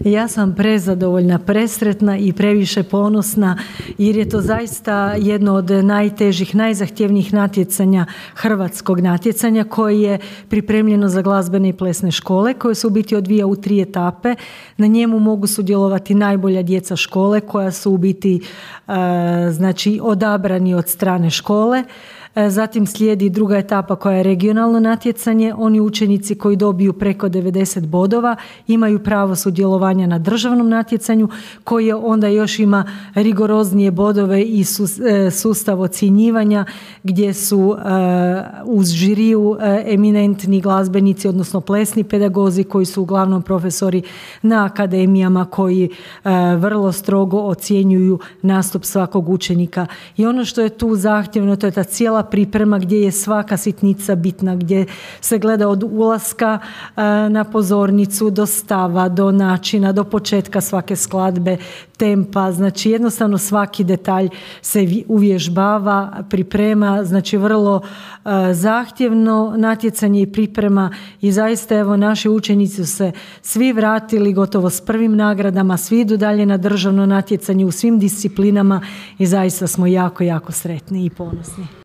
Ja sam prezadovoljna, presretna i previše ponosna jer je to zaista jedno od najtežih, najzahtjevnijih natjecanja, hrvatskog natjecanja koje je pripremljeno za glazbene i plesne škole koje se u biti odvija u 3 etape. Na njemu mogu sudjelovati najbolja djeca škole koja su u biti znači odabrani od strane škole. Zatim slijedi druga etapa koja je regionalno natjecanje. Oni učenici koji dobiju preko 90 bodova imaju pravo sudjelovanja na državnom natjecanju koje onda još ima rigoroznije bodove i sustav ocjenjivanja gdje su uz žiriju eminentni glazbenici, odnosno plesni pedagozi koji su uglavnom profesori na akademijama koji vrlo strogo ocjenjuju nastup svakog učenika. I ono što je tu zahtjevno, to je ta cijela priprema gdje je svaka sitnica bitna, gdje se gleda od ulaska na pozornicu do stava, do načina, do početka svake skladbe, tempa, znači jednostavno svaki detalj se uvježbava, priprema, znači vrlo zahtjevno natjecanje i priprema i zaista evo naši učenici su se svi vratili gotovo s prvim nagradama, svi idu dalje na državno natjecanje u svim disciplinama i zaista smo jako, jako sretni i ponosni.